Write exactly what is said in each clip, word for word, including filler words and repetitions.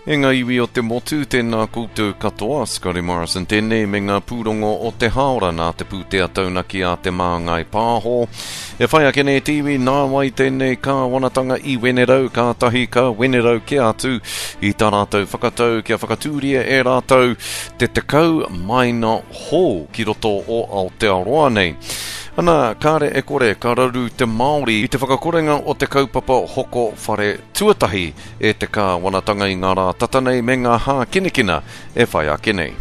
E ngā iwi o te motu, tēnā koutou katoa, Scotty Morrison tēnei me ngā pūrongo o te haora nā te pūtea taunaki a Te Māngai Pāho. E whai ake nei te iwi nā wai tēnei kāwanatanga i Wenerau, kātahi ka Wenerau ke atu i tā rātou whakatau kia whakatūria e rātou te tekau maina hou ki roto o Aotearoa nei. Ana, kāre e kore, ka raru te Māori i te whakakorenga o te kaupapa hoko whare tuatahi e te kāwanatanga i ngā rā tata nei me ngā hākinakina e whai ake nei.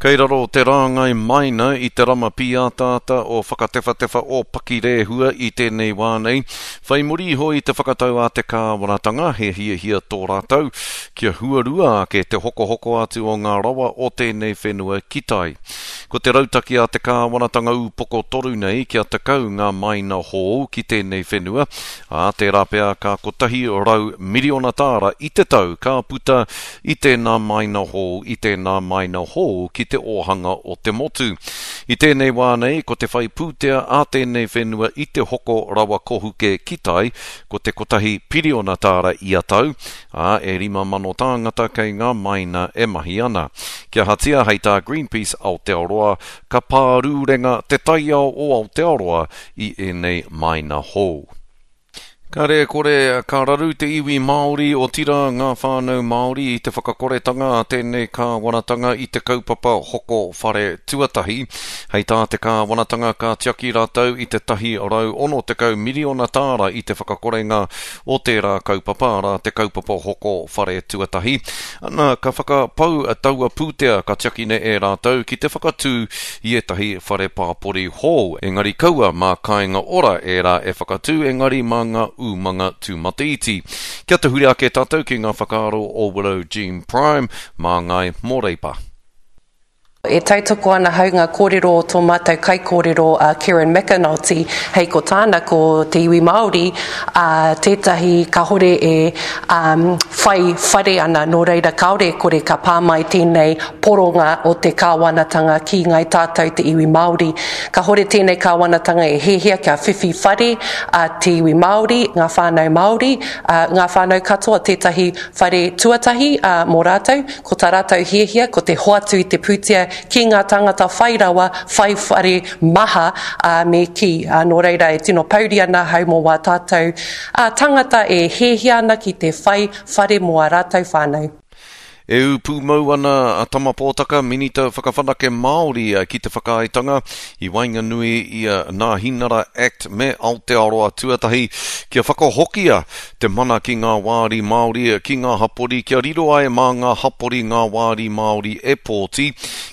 Kei raro te rāngai maina i te rama pīataata o Whakatewhatewha o Pakirehua i tēnei wā nei. Whai muri iho i te whakatau a te kāwanatanga, he hiahia tō rātou, kia huarua ake te hokohoko atu o ngā rawa o tēnei whenua ki tai. Ko te rautaki a te kāwanatanga ūpoko toru nei kia tekau ngā maina hou ki tēnei whenua, ā, tērā pea ka kotahi rau miriona tāra i te tau ka puta i tēnā maina hou, i tēnā maina hou ki te ōhanga o te motu. I tēnei wā nei, ko te whai pūtea a tēnei whenua i te hoko rawa kohuke ki tai, ko te kotahi piriona tāra ia tau, ā, e rima mano tāngata kei ngā maina e mahi ana. Kia hatia hei tā Greenpeace Aotearoa, ka pārūrenga te taiao o Aotearoa i ēnei maina hou. Ka re kore, ka raru te iwi Māori o tira ngā whānau Māori i te whakakoretanga a tēnei kāwanatanga i te kaupapa hoko whare tuatahi. Hei tā te kāwanatanga ka tiaki rātou i te tahi rau ono tekau miriona tāra i te whakakorenga o tērā kaupapa, arā te kaupapa hoko whare tuatahi. Ana, ka whakapau taua pūtea ka tiakine e rātou ki te whakatū i ētahi whare pāpori hou. Engari kaua mā kāinga ora ērā e whakatū, engari mā ngā umanga tūmataiti. Kia tahuri ake tātou ki ngā whakaaro o Willow Jean Prime, mā Ngai mō Reipa. E tautoko ana hau ngā kōrero o tō mātou kaikōrero a Kieran McAnulty, hei ko tāna ko te iwi Māori, a tētahi kahore e um, whai whare ana, nō reira kāore kore ka pā mai tēnei poronga o te kāwanatanga ki ngai tātou te iwi Māori. Kahore tēnei kāwanatanga e hehia kia whiwhi whare a te iwi Māori, ngā whānau Māori, a, ngā whānau katoa tētahi whare tuatahi a, mō rātou, ko tā rātou hiahia, ko te hoatu i te pūtea ki ngā tāngata whai rawa, whai whare maha a, me ki. A, nō reira e tino pauri ana hau mō wā tātou a, tangata e hehia ana ki te whai whare mō a rātou whānau. E ū pūmau ana a Tama Pōtaka, Minita Whakawhanake Māori ki te whakaaetanga i waenganui i a Nāhinara Act me Aotearoa Tuatahi kia whakahokia te mana ki ngā wāri Māori ki ngā hapori kia riro ai mā ngā hapori ngā wāri Māori e pōti.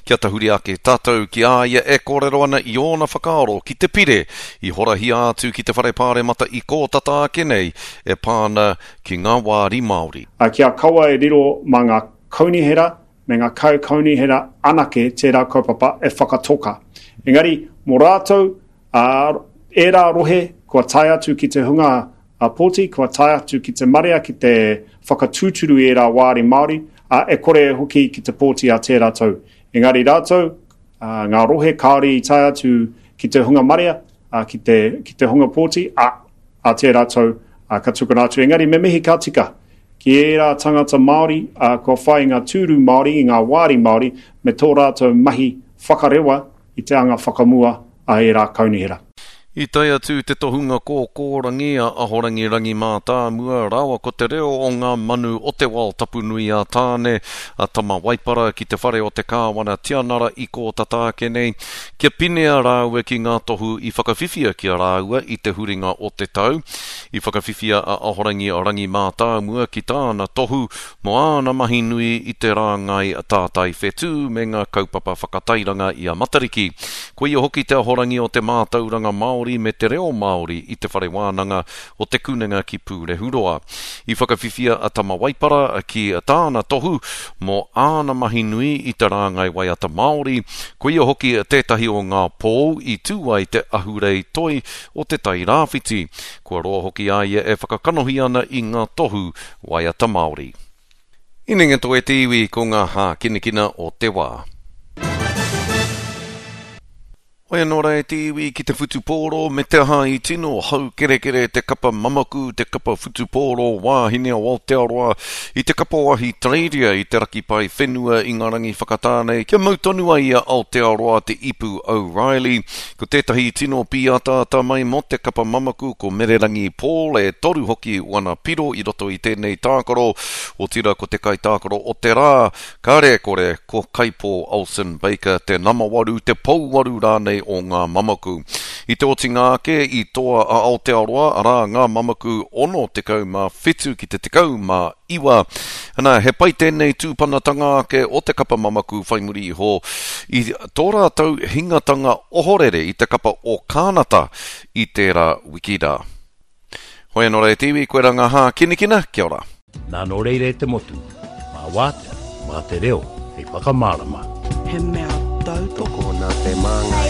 Kia tahuri ake tātou ki a ia e kōrero ana i ōna whakaaro ki te pire i horahia atu ki te whare pāremata i kōtata ake nei e pāna ki ngā wāri Māori. A kia kaua e riro mā ngā kaunihera me ngā kai kaunihera anake tērā kaupapa e whakatoka. Engari, mō rātou, ā, ērā rohe kua tae atu ki te hunga a pōti, kua tae atu ki te marea, ki te whakatūturu i ērā wāri Māori, ā, e kore e hoki ki te pōti a tērā tau. Engari rātou, ā, ngā rohe kāore i tae atu ki te hunga marea, ā, ki te, ki te hunga pōti, ā, a tērā tau, ā, ka tukuna atu. Engari me mihi ka tika ki ērā tangata Māori, ā, kua whai ngā tūru Māori, i ngā wāri Māori, me tō rātou mahi whakarewa i te anga whakamua a ērā kaunihera. I tae atu te tohunga kōkōrangi a Ahorangi Rangi Mātāmua rāua ko te reo o ngā manu o te wao tapu nui a Tāne, a Tama Waipara ki te whare o te Kāwana Tianara i kōtata ake nei, kia pinea rāua ki ngā tohu i whakawhiwhia ki a rāua i te huringa o te tau. I whakawhiwhia a Ahorangi Rangi Mātāmua ki tāna tohu mō āna mahi nui i te rāngai tātai whetū me ngā kaupapa whakatairanga i a Matariki. Ko ia hoki te ahorangi o te mātauranga Māori me te reo Māori i te whare wānanga o te Kunenga ki Pūrehuroa. I whakawhiwhia a Tama Waipara ki tāna tohu mō āna mahi nui i te rāngai waiata Māori, ko ia hoki tētahi o ngā pou i tū ai te ahurei toi o te Tai Rāwhiti. Kua roa hoki a ia e whakakanohi ana i ngā tohu waiata Māori. Inenga e te iwi ko ngā hākinakina o te wā. Hoi anō rā e te iwi ki te whutupōro me te aha i tino haukerekere te kapa mamaku, te kapa whutupōro wāhine o Aotearoa i te kapa o Ahitereiria i te raki pae whenua i ngā rangi whakatā nei kia mau tonu ai i a Aotearoa te ipu O'Reilly. Ko tētahi tino pīataata mai mō te kapa mamaku ko Mererangi Paul e toru hoki wana piro i roto i tēnei tākaro, otira ko te kaitākaro o te rā, kāre e kore ko Kaipo Olsen Baker te namawaru, te pouwaru rānei o ngā mamaku. I te otinga ake i toa a Aotearoa, arā ngā mamaku ono tekau mā whitu ki te tekau mā iwa. Ana, he pai tēnei tūpanatanga ake o te kapa mamaku whai muri iho i tō rātou hingatanga ohorere i te kapa o Kānata i tērā wiki rā. Hoi anō rā e te iwi, koe rā ngā hākinakina, kia ora. Nā nō reira e te motu, mā wātea, mā te reo, hei whakamārama. He mea tautoko. Tokona te māngai.